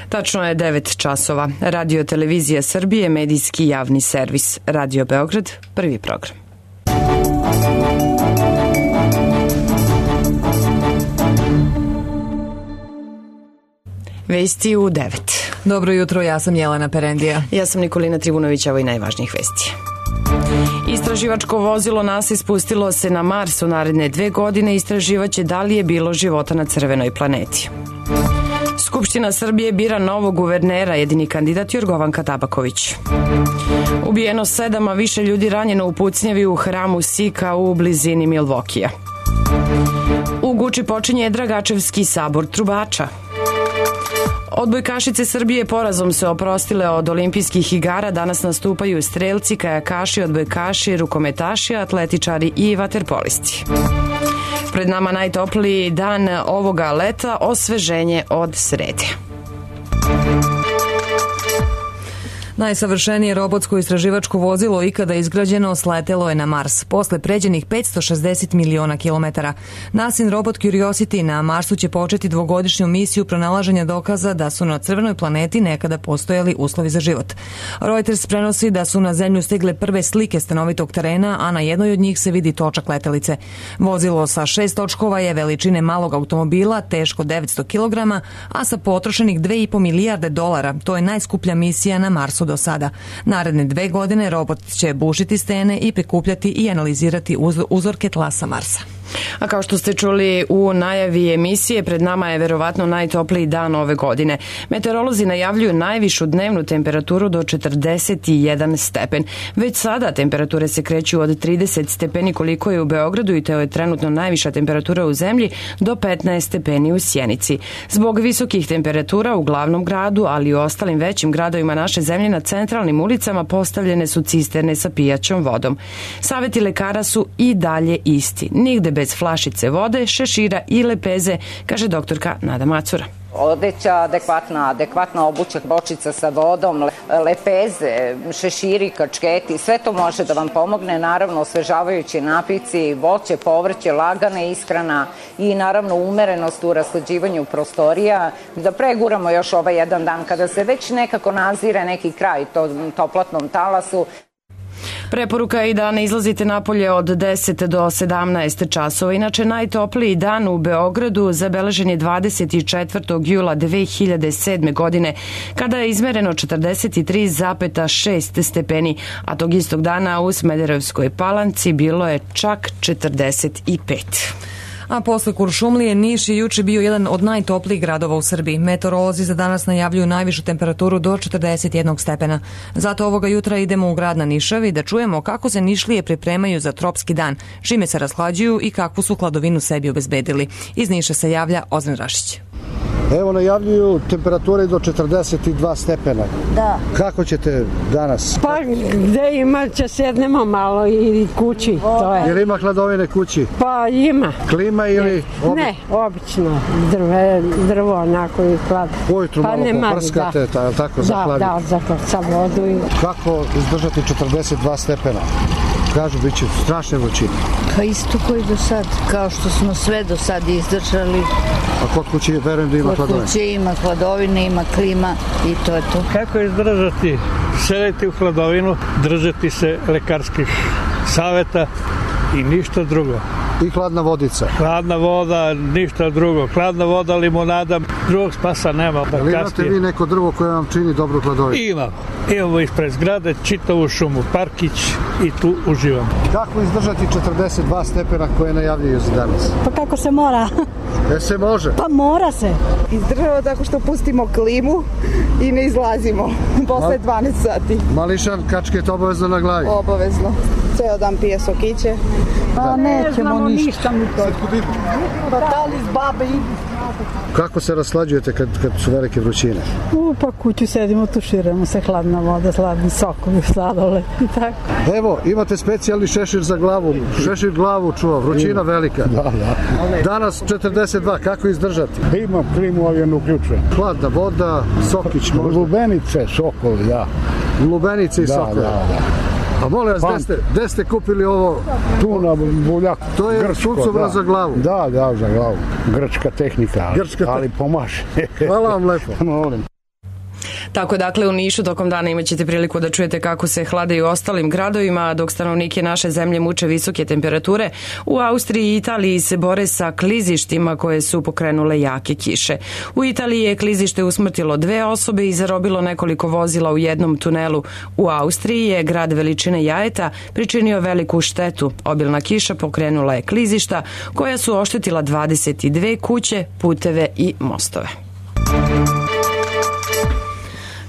Tačno je 9 časova. Radio Televizija Srbije, medijski javni servis. Radio Beograd, prvi program. Vesti u 9. Dobro jutro, ja sam Jelena Perendija. Ja sam Nikolina Tribunović, ovo i najvažnijih vesti. Istraživačko vozilo NASA ispustilo se na Mars u naredne 2 godine. Istraživaće da li je bilo života na crvenoj planeti. Skupština Srbije bira novog guvernera, jedini kandidat Jorgovanka Tabaković. Ubijeno 7, a više ljudi ranjeno u pucnjavi u hramu Sika u blizini Milvokija. U Guči počinje Dragačevski sabor trubača. Odbojkašice Srbije porazom se oprostile od olimpijskih igara. Danas nastupaju strelci, kajakaši, odbojkaši, rukometaši, atletičari i vaterpolisti. Pred nama najtopliji dan ovoga leta, osveženje od srede. Najsavršenije robotsko istraživačko vozilo ikada izgrađeno sletelo je na Mars, posle pređenih 560 miliona kilometara. NASIN robot Curiosity na Marsu će početi 2-godišnju misiju pronalaženja dokaza da su na crvenoj planeti nekada postojali uslovi za život. Reuters prenosi da su na Zemlju stigle prve slike stanovitog terena, a na jednoj od njih se vidi točak letelice. Vozilo sa 6 točkova je veličine malog automobila, teško 900 kg, a sa potrošenih 2,5 milijarde dolara. To je najskuplja misija na Marsu do sada. Naredne 2 godine robot će bušiti stene i prikupljati i analizirati uzorke tla sa Marsa. A kao što ste čuli u najavi emisije, pred nama je verovatno najtopliji dan ove godine. Meteorolozi najavljuju najvišu dnevnu temperaturu do 41 stepen. Već sada temperature se kreću od 30 stepeni koliko je u Beogradu i to je trenutno najviša temperatura u zemlji do 15 stepeni u Sjenici. Zbog visokih temperatura u glavnom gradu, ali i u ostalim većim gradovima naše zemlje na centralnim ulicama postavljene su cisterne sa pijaćom vodom. Saveti lekara su i dalje isti. Nigde bez flašice vode, šešira i lepeze, kaže doktorka Nada Macura. Odeća adekvatna obuća, bočica sa vodom, lepeze, šeširi, kačketi, sve to može da vam pomogne. Naravno, osvežavajući napici, voće, povrće, lagana ishrana i naravno umerenost u rashlađivanju prostorija. Da preguramo još ovaj jedan dan kada se već nekako nazire neki kraj toplatnom talasu. Preporuka je i da ne izlazite napolje od 10 do 17 časova. Inače, najtopliji dan u Beogradu zabeležen je 24. jula 2007. godine, kada je izmereno 43,6 stepeni, a tog istog dana u Smederevskoj Palanci bilo je čak 45. A posle Kuršumlije, Niš je juče bio jedan od najtoplijih gradova u Srbiji. Meteorolozi za danas najavljuju najvišu temperaturu do 41 stepena. Zato ovoga jutra idemo u grad na Nišavi da čujemo kako se Nišlije pripremaju za tropski dan, čime se rashlađuju i kakvu su hladovinu sebi obezbedili. Iz Niša se javlja Ozren Rašić. Evo, najavljuju temperature do 42 stepena. Da. Kako ćete danas? Pa gde ima, će sednemo malo i kući, to je. Jel ima hladovine kući? Pa ima. Klima ili? Ne, obično. Drvo onako i hlad. Ujutru malo poprskate, tako za hladit? Da, za vodu. Kako izdržati 42 stepena? Kažu, bit će strašne vrućine. Pa isto koji do sad, kao što smo sve do sad izdržali. A kod kuće verujem da ima hladovine? Kod kuće ima hladovine, ima klima i to je to. Kako izdržati? Sedeti u hladovinu, držati se lekarskih saveta i ništa drugo. I hladna vodica? Hladna voda, ništa drugo. Hladna voda, limonada, drugog spasa nema. Ali imate vi neko drvo koje vam čini dobru hladovinu? Imamo ispred zgrade čitavu šumu, parkić i tu uživamo. Kako izdržati 42 stepena koje najavljuju za danas? Pa kako se mora? Se može? Pa mora se. Izdržava tako što pustimo klimu i ne izlazimo posle 12 sati. Mališan, kačket obavezno na glavi? Obavezno. Ceo dan pije sokiće. Pa nećemo ništa mi to. Pa da li s babe i... Kako se raslađujete kad su velike vrućine? Pa kuću sedimo, tuširamo se, hladna voda, hladni sokovi, sladole i tako. Evo, imate specijalni šešir za glavu. Šešir glavu čuva, vrućina velika. Da. Danas 42, kako izdržati? Imam klimu, ali je ne uključujem. Hladna voda, sokić možda? Lubenice, sokol, da. Lubenice i sokol? Da. A molim vas, gde ste kupili ovo? Tu na Buljaku. To je suncobra za glavu? Da, za glavu. Grčka tehnika, ali pomaže. Hvala vam lepo. Molim. Tako dakle u Nišu tokom dana imaćete priliku da čujete kako se hlade i u ostalim gradovima, dok stanovnike naše zemlje muče visoke temperature. U Austriji i Italiji se bore sa klizištima koje su pokrenule jake kiše. U Italiji je klizište usmrtilo 2 osobe i zarobilo nekoliko vozila u jednom tunelu. U Austriji je grad veličine Jajeta pričinio veliku štetu. Obilna kiša pokrenula je klizišta koja su oštetila 22 kuće, puteve i mostove.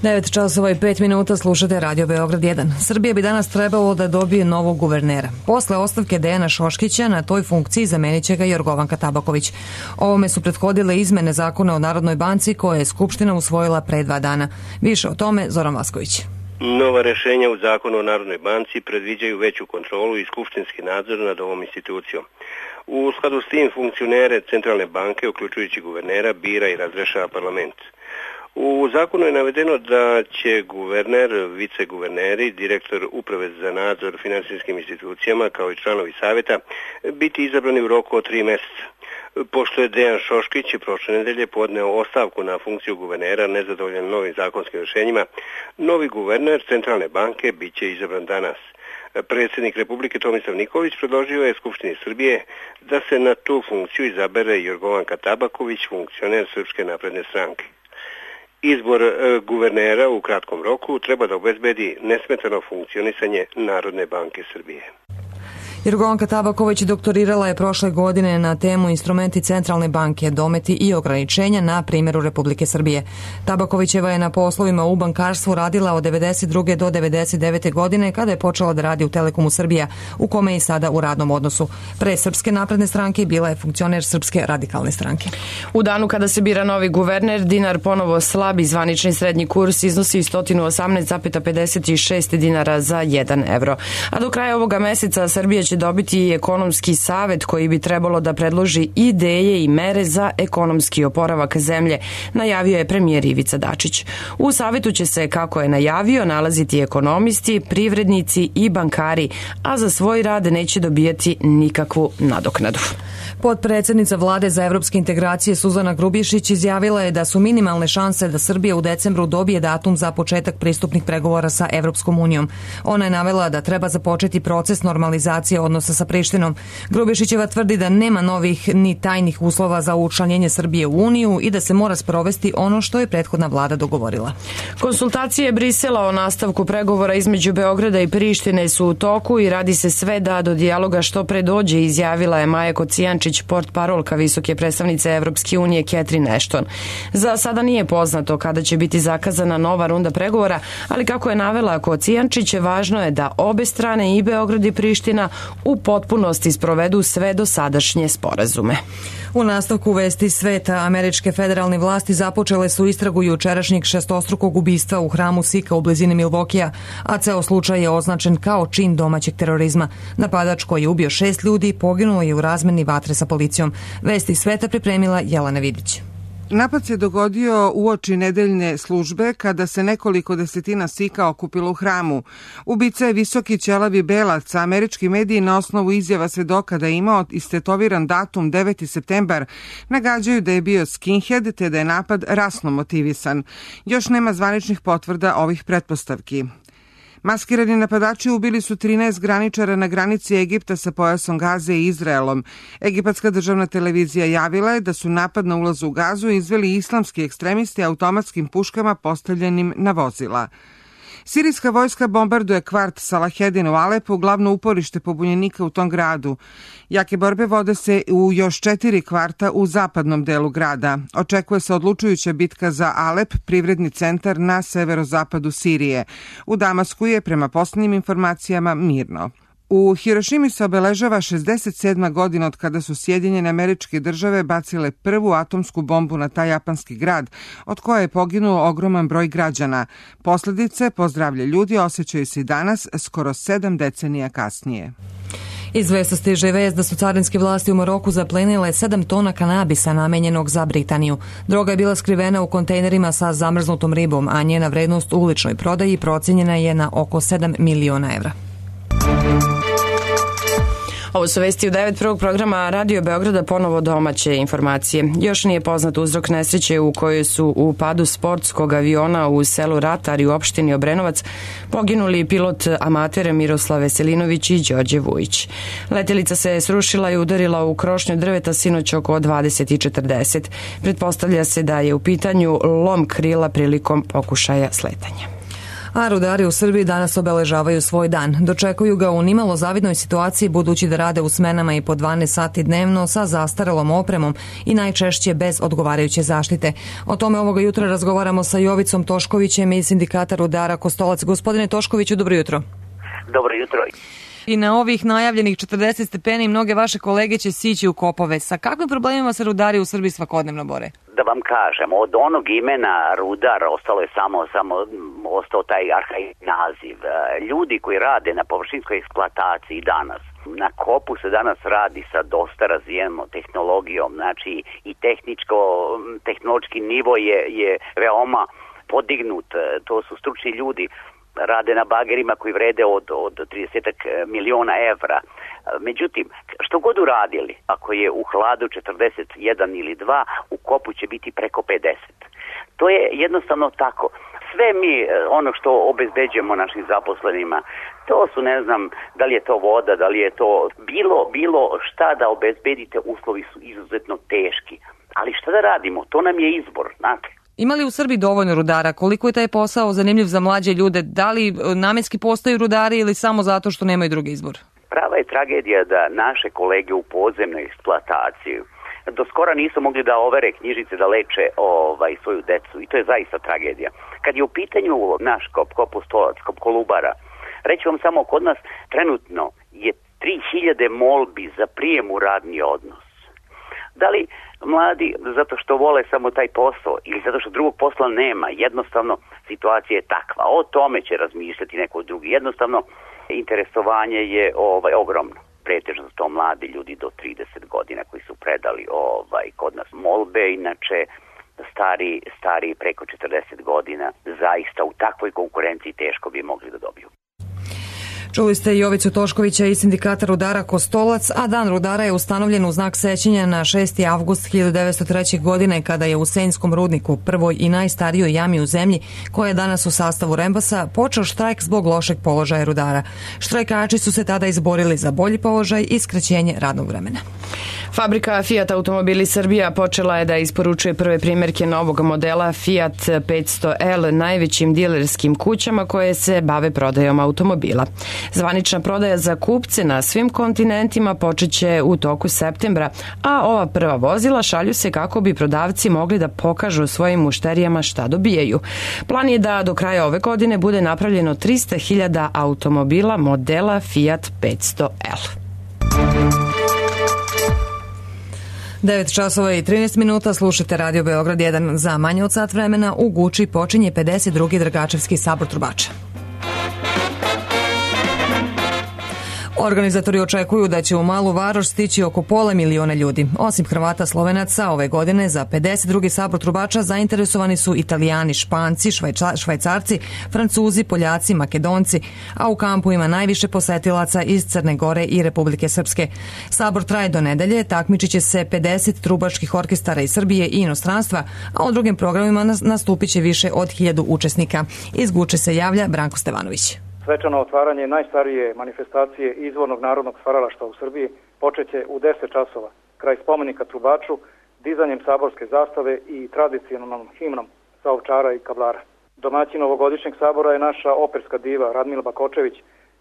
9 časova i 5 minuta, slušate Radio Beograd 1. Srbija bi danas trebalo da dobije novog guvernera. Posle ostavke Dejana Šoškića na toj funkciji zamenit će ga Jorgovanka Tabaković. Ovome su prethodile izmene zakona o Narodnoj banci koje je Skupština usvojila pre 2 dana. Više o tome Zoran Vasković. Nova rešenja u zakonu o Narodnoj banci predviđaju veću kontrolu i skupštinski nadzor nad ovom institucijom. U skladu s tim funkcionere Centralne banke, uključujući guvernera, bira i razrešava parlament. U zakonu je navedeno da će guverner, viceguverneri, direktor uprave za nadzor finansijskim institucijama kao i članovi savjeta biti izabrani u roku od 3 meseca. Pošto je Dejan Šoškić prošle nedelje podneo ostavku na funkciju guvernera nezadovoljan novim zakonskim rješenjima, novi guverner Centralne banke bit će izabran danas. Predsjednik Republike Tomislav Nikolić predložio je Skupštini Srbije da se na tu funkciju izabere Jorgovanka Tabaković, funkcioner Srpske napredne stranke. Izbor guvernera u kratkom roku treba da obezbedi nesmetano funkcionisanje Narodne banke Srbije. Jorgovanka Tabaković doktorirala je prošle godine na temu instrumenti Centralne banke, dometi i ograničenja na primjeru Republike Srbije. Tabakovićeva je na poslovima u bankarstvu radila od 92. do 99. godine kada je počela da radi u Telekomu Srbija, u kome je i sada u radnom odnosu. Pre Srpske napredne stranke bila je funkcioner Srpske radikalne stranke. U danu kada se bira novi guverner, dinar ponovo slab i zvanični srednji kurs iznosi 118,56 dinara za 1 evro. A do kraja ovoga meseca Srbija će dobiti i ekonomski savet koji bi trebalo da predloži ideje i mere za ekonomski oporavak zemlje, najavio je premijer Ivica Dačić. U savetu će se, kako je najavio, nalaziti ekonomisti, privrednici i bankari, a za svoj rad neće dobijati nikakvu nadoknadu. Potpredsednica Vlade za evropske integracije Suzana Grubješić izjavila je da su minimalne šanse da Srbija u decembru dobije datum za početak pristupnih pregovora sa Evropskom unijom. Ona je navela da treba započeti proces normalizacije odnosa sa Prištinom. Grubješićeva tvrdi da nema novih ni tajnih uslova za učlanjenje Srbije u Uniju i da se mora sprovesti ono što je prethodna vlada dogovorila. Konsultacije Brisela o nastavku pregovora između Beograda i Prištine su u toku i radi se sve da do dijaloga što pre dođe, izjavila je Maja Kocijančić, portparolka visoke predstavnice Evropske unije Catherine Ashton. Za sada nije poznato kada će biti zakazana nova runda pregovora, ali kako je navela Kocijančić, važno je da obe strane, i Beograd i Priština, u potpunosti sprovedu sve dosadašnje sporazume. U nastavku vesti sveta, američke federalne vlasti započele su istragu jučerašnjeg šestostrukog ubistva u hramu Sika u blizini Milvokija, a ceo slučaj je označen kao čin domaćeg terorizma. Napadač koji je ubio 6 ljudi poginuo je u razmeni vatre sa policijom. Vesti sveta pripremila Jelena Vidić. Napad se dogodio uoči nedeljne službe kada se nekoliko desetina Sika okupilo u hramu. Ubica je visoki ćelavi belac, a američki mediji na osnovu izjava svedoka da je imao istetoviran datum 9. septembar nagađaju da je bio skinhead te da je napad rasno motivisan. Još nema zvaničnih potvrda ovih pretpostavki. Maskirani napadači ubili su 13 graničara na granici Egipta sa pojasom Gaze i Izraelom. Egipatska državna televizija javila je da su napad na ulazu u Gazu izveli islamski ekstremisti automatskim puškama postavljenim na vozila. Sirijska vojska bombarduje kvart Salahedin u Alepu, glavno uporište pobunjenika u tom gradu. Jake borbe vode se u još 4 kvarta u zapadnom delu grada. Očekuje se odlučujuća bitka za Alep, privredni centar na severozapadu Sirije. U Damasku je, prema posljednjim informacijama, mirno. U Hirošimi se obeležava 67. godina od kada su Sjedinjene Američke Države bacile prvu atomsku bombu na taj japanski grad, od koje je poginuo ogroman broj građana. Posljedice po zdravlje ljudi osjećaju se i danas, skoro 7 decenija kasnije. Iz vesta stiže vest da su carinske vlasti u Maroku zaplenile 7 tona kanabisa namenjenog za Britaniju. Droga je bila skrivena u kontejnerima sa zamrznutom ribom, a njena vrednost u uličnoj prodaji procijenjena je na oko 7 miliona evra. Ovo su vesti u 9 prvog programa Radio Beograda, ponovo domaće informacije. Još nije poznat uzrok nesreće u kojoj su u padu sportskog aviona u selu Ratar i u opštini Obrenovac poginuli pilot amater Miroslav Veselinović i Đorđe Vujić. Letelica se srušila i udarila u krošnju drveta sinoć oko 20:40. Pretpostavlja se da je u pitanju lom krila prilikom pokušaja sletanja. A rudari u Srbiji danas obeležavaju svoj dan. Dočekuju ga u nimalo zavidnoj situaciji budući da rade u smenama i po 12 sati dnevno sa zastarelom opremom i najčešće bez odgovarajuće zaštite. O tome ovoga jutra razgovaramo sa Jovicom Toškovićem iz Sindikata rudara Kostolac. Gospodine Toškoviću, dobro jutro. Dobro jutro. I na ovih najavljenih 40 stepeni mnoge vaše kolege će sići u kopove. Sa kakvim problemima se rudari u Srbiji svakodnevno bore? Da vam kažem, od onog imena rudar ostalo je samo ostao taj arhaični naziv. Ljudi koji rade na površinskoj eksploataciji danas, na kopu se danas radi sa dosta razvijenom tehnologijom, znači i tehnološki nivo je veoma podignut. To su stručni ljudi, rade na bagerima koji vrede od 30 miliona evra. Međutim, što god uradili, ako je u hladu 41 ili 2, u kopu će biti preko 50. To je jednostavno tako. Sve mi, ono što obezbeđujemo našim zaposlenima, to su, ne znam, da li je to voda, da li je to bilo šta da obezbedite, uslovi su izuzetno teški. Ali šta da radimo? To nam je izbor, znate. Ima li u Srbiji dovoljno rudara? Koliko je taj posao zanimljiv za mlađe ljude? Da li namenski postaju rudari ili samo zato što nemaju drugi izbor? Prava je tragedija da naše kolege u podzemnoj eksploataciji do skora nisu mogli da overe knjižice da leče svoju decu i to je zaista tragedija. Kad je u pitanju naš Kostolac, Kolubara, reći vam samo, kod nas trenutno je 3000 molbi za prijem u radni odnos. Da li mladi zato što vole samo taj posao ili zato što drugog posla nema, jednostavno situacija je takva. O tome će razmišljati neko drugi. Jednostavno interesovanje je ogromno. Pretežno su to mladi ljudi do 30 godina koji su predali kod nas molbe, inače stari preko 40 godina zaista u takvoj konkurenciji teško bi mogli da dobiju. Čuli ste Jovicu Toškovića iz Sindikata rudara Kostolac, a Dan rudara je ustanovljen u znak sećanja na 6. avgust 1903. godine kada je u Senjskom rudniku, prvoj i najstarijoj jami u zemlji, koja je danas u sastavu Rembasa, počeo štrajk zbog lošeg položaja rudara. Štrajkači su se tada izborili za bolji položaj i skraćenje radnog vremena. Fabrika Fiat Automobili Srbija počela je da isporučuje prve primjerke novog modela Fiat 500L najvećim dilerskim kućama koje se bave prodajom automobila. Zvanična prodaja za kupce na svim kontinentima počeće u toku septembra, a ova prva vozila šalju se kako bi prodavci mogli da pokažu svojim mušterijama šta dobijaju. Plan je da do kraja ove godine bude napravljeno 300.000 automobila modela Fiat 500L. 9 časova i 13 minuta, slušate Radio Beograd 1 za manje od sat vremena. U Guči počinje 52. Dragačevski sabor trubača. Organizatori očekuju da će u Malu Varoš stići oko 500.000 ljudi. Osim Hrvata Slovenaca, ove godine za 52. sabor trubača zainteresovani su Italijani, Španci, Švajcarci, Francuzi, Poljaci, Makedonci, a u kampu ima najviše posetilaca iz Crne Gore i Republike Srpske. Sabor traje do nedelje, takmičit će se 50 trubačkih orkestara iz Srbije i inostranstva, a u drugim programima nastupit će više od 1000 učesnika. Iz Guče se javlja Branko Stevanović. Svečano otvaranje najstarije manifestacije izvornog narodnog stvaralaštva u Srbiji počeće u 10 časova, kraj spomenika trubaču, dizanjem saborske zastave i tradicionalnom himnom sa Ovčara i Kablara. Domaćin ovogodišnjeg sabora je naša operska diva Radmila Bakočević,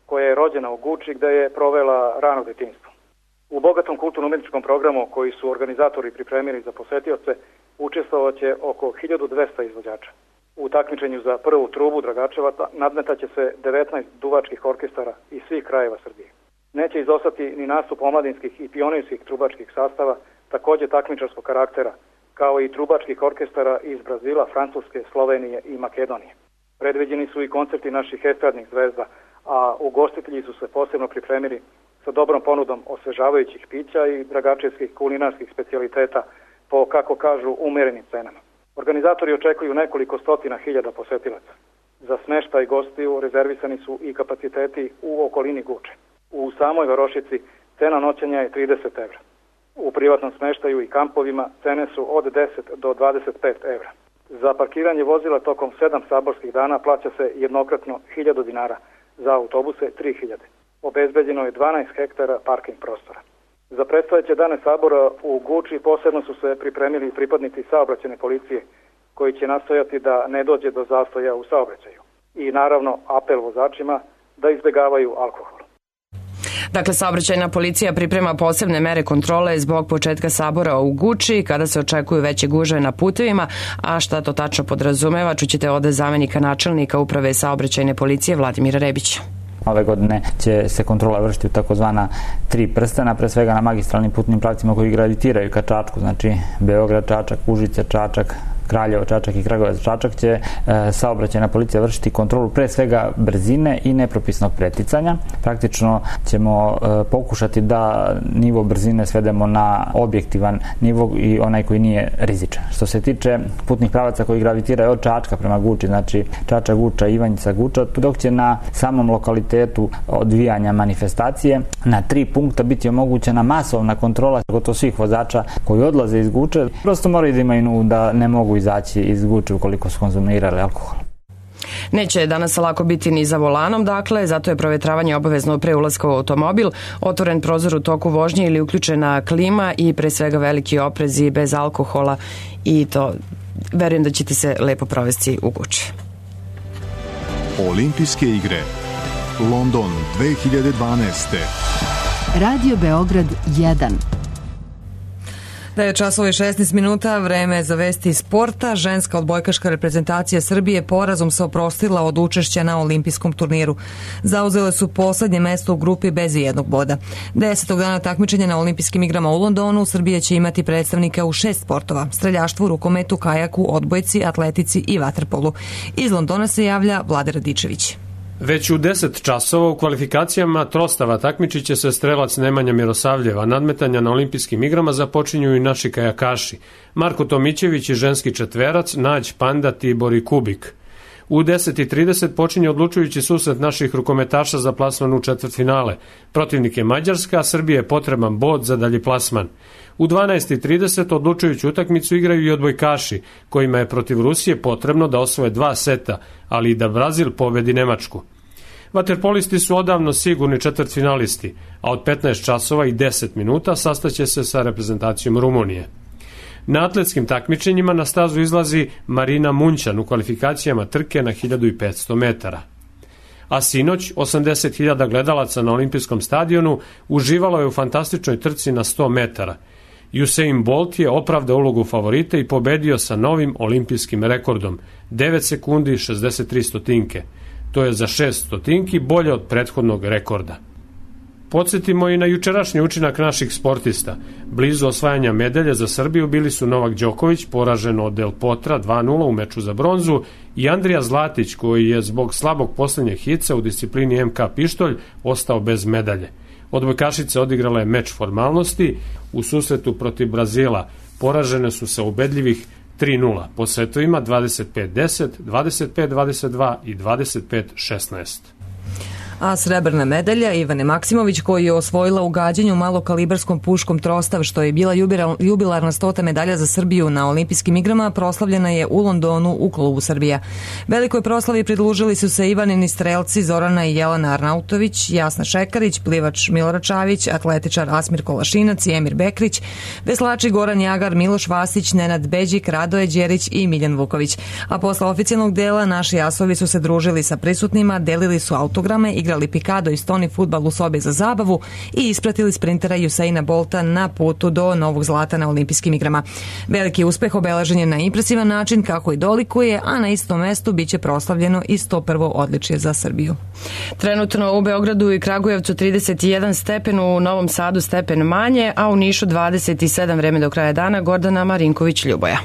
koja je rođena u Guči gde je provela rano detinjstvo. U bogatom kulturno-umetničkom programu koji su organizatori pripremili za posetioce učestvovaće oko 1200 izvođača. U takmičenju za prvu trubu Dragačevaca nadmetaće se 19 duvačkih orkestara iz svih krajeva Srbije. Neće izostati ni nastup omladinskih i pionirskih trubačkih sastava, također takmičarskog karaktera, kao i trubačkih orkestara iz Brazila, Francuske, Slovenije i Makedonije. Predviđeni su i koncerti naših estradnih zvezda, a ugostitelji su se posebno pripremili sa dobrom ponudom osvežavajućih pića i dragačevskih kulinarskih specijaliteta po, kako kažu, umerenim cenama. Organizatori očekuju nekoliko stotina hiljada posetilaca. Za smeštaj gostiju rezervisani su i kapaciteti u okolini Guče. U samoj Varošici Cena noćenja je 30 evra. U privatnom smeštaju i kampovima cene su od 10 do 25 evra. Za parkiranje vozila tokom 7 saborskih dana plaća se jednokratno 1000 dinara, za autobuse 3000. Obezbeđeno je 12 hektara parking prostora. Za predstojeće dane sabora u Guči posebno su se pripremili pripadnici saobraćajne policije, koji će nastojati da ne dođe do zastoja u saobraćaju. I naravno apel vozačima da izbjegavaju alkohol. Dakle, saobraćajna policija priprema posebne mere kontrole zbog početka sabora u Guči, kada se očekuju veće gužve na putevima, a šta to tačno podrazumeva, čućete od zamenika načelnika Uprave saobraćajne policije Vladimira Rebića. Ove godine će se kontrola vršiti u takozvana 3 prstena, pre svega na magistralnim putnim pravcima koji gravitiraju ka Čačku, znači Beograd, Čačak, Užice, Čačak, Kraljevo, Čačak i Kragujevac, Čačak, će saobraćajna policija vršiti kontrolu pre svega brzine i nepropisnog preticanja. Praktično ćemo pokušati da nivo brzine svedemo na objektivan nivo i onaj koji nije rizičan. Što se tiče putnih pravaca koji gravitiraju od Čačka prema Guči, znači Čačak, Guča, Ivanjica, Guča, dok će na samom lokalitetu odvijanja manifestacije na 3 punkta biti omogućena masovna kontrola gotovo svih vozača koji odlaze iz Guče. Prosto moraju da imaju da ne mogu izaći iz Guče ukoliko su konzumirali alkohol. Neće danas lako biti ni za volanom, dakle, zato je provetravanje obavezno pre ulaska u automobil, otvoren prozor u toku vožnje ili uključena klima i pre svega veliki oprezi bez alkohola i to verujem da ćete se lepo provesti u Guči. Olimpijske igre London 2012. Radio Beograd 1. Da je časove 16 minuta, vreme za vesti sporta. Ženska odbojkaška reprezentacija Srbije porazom se oprostila od učešća na olimpijskom turniru. Zauzele su poslednje mesto u grupi bez ijednog boda. 10. dana takmičenja na olimpijskim igrama u Londonu Srbija će imati predstavnika u 6 sportova: streljaštvu, rukometu, kajaku, odbojci, atletici i vaterpolu. Iz Londona se javlja Vlada Radičević. Već u 10 časova u kvalifikacijama trostava takmičit će se strelac Nemanja Mirosavljev, nadmetanja na olimpijskim igrama započinju i naši kajakaši: Marko Tomićević i ženski četverac, Nađ, Panda, Tibor i Kubik. U 10:30 počinje odlučujući susret naših rukometaša za plasman u četvrtfinale. Protivnik je Mađarska, a Srbije je potreban bod za dalji plasman. U 12:30 odlučujuću utakmicu igraju i odbojkaši, kojima je protiv Rusije potrebno da osvoje 2 seta, ali i da Brazil pobedi Nemačku. Vaterpolisti su odavno sigurni četvrtfinalisti, a od 15 časova i 10 minuta sastaće se sa reprezentacijom Rumunije. Na atletskim takmičenjima na stazu izlazi Marina Munćan u kvalifikacijama trke na 1500 metara. A sinoć 80.000 gledalaca na olimpijskom stadionu uživalo je u fantastičnoj trci na 100 metara. Usain Bolt je opravdao ulogu favorita i pobedio sa novim olimpijskim rekordom 9 sekundi 63 stotinke. To je za 6 stotinki bolje od prethodnog rekorda. Podsjetimo i na jučerašnji učinak naših sportista. Blizu osvajanja medalje za Srbiju bili su Novak Đoković, poražen od Del Potra 2:0 u meču za bronzu, i Andrija Zlatić, koji je zbog slabog poslednjeg hica u disciplini MK pištolj ostao bez medalje. Odbojkašice odigrala je meč formalnosti. U susretu protiv Brazila poražene su sa ubedljivih 3:0 po setovima 25-10, 25-22 i 25-16. A srebrna medalja Ivane Maksimović, koju je osvojila u gađanju malokalibarskom puškom Trostav, što je bila jubilarna 100. medalja za Srbiju na olimpijskim igrama, proslavljena je u Londonu u klubu Srbija. Velikoj proslavi pridružili su se Ivanini strelci Zorana i Jelena Arnautović, Jasna Šekarić, plivač Milorad Čavić, atletičar Asmir Kolašinac i Emir Bekrić, veslači Goran Jagar, Miloš Vasić, Nenad Beđik, Radoje Đerić i Miljan Vuković. A posle oficijalnog dela naši asovi su se družili sa prisutnima, delili su autograme, igrali pikado i stoni fudbal u sobi za zabavu i ispratili sprintera Usaina Bolta na putu do novog zlata na olimpijskim igrama. Veliki uspeh obeležen je na impresivan način, kako i dolikuje, a na istom mestu biće proslavljeno i 101. odličje za Srbiju. Trenutno u Beogradu i Kragujevcu 31 stepen, u Novom Sadu stepen manje, a u Nišu 27. Vreme do kraja dana. Gordana Marinković-Ljuboja.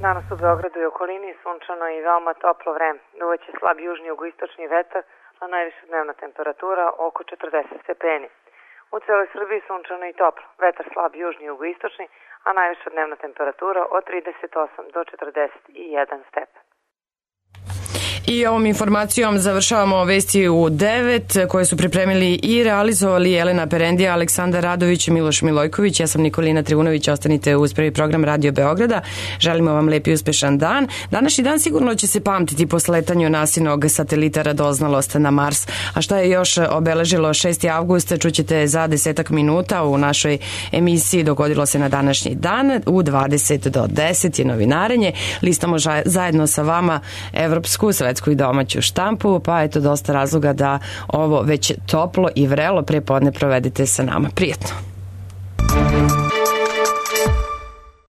Danas u Beogradu i okolini sunčano i veoma toplo vreme. Duvaće slab južni jugoistočni vetar, a najviša dnevna temperatura oko 40 stepeni. U celoj Srbiji sunčano i toplo. Vetar slab južni jugoistočni, a najviša dnevna temperatura od 38 do 41 stepen. I ovom informacijom završavamo vesti u 9 koje su pripremili i realizovali Jelena Perendija, Aleksandar Radović, Miloš Milojković. Ja sam Nikolina Trivunović, ostanite uz prvi program Radio Beograda. Želimo vam lep i uspešan dan. Današnji dan sigurno će se pamtiti po sletanju NASInog satelita Radoznalost na Mars. A šta je još obeležilo 6. avgust čućete za 10 minuta u našoj emisiji. Dogodilo se na današnji dan. U 20 do 10 je novinarenje. Listamo zajedno sa vama evropsku, svetsku i domaću štampu, pa eto dosta razloga da ovo već toplo i vrelo prepodne provedete sa nama. Prijetno!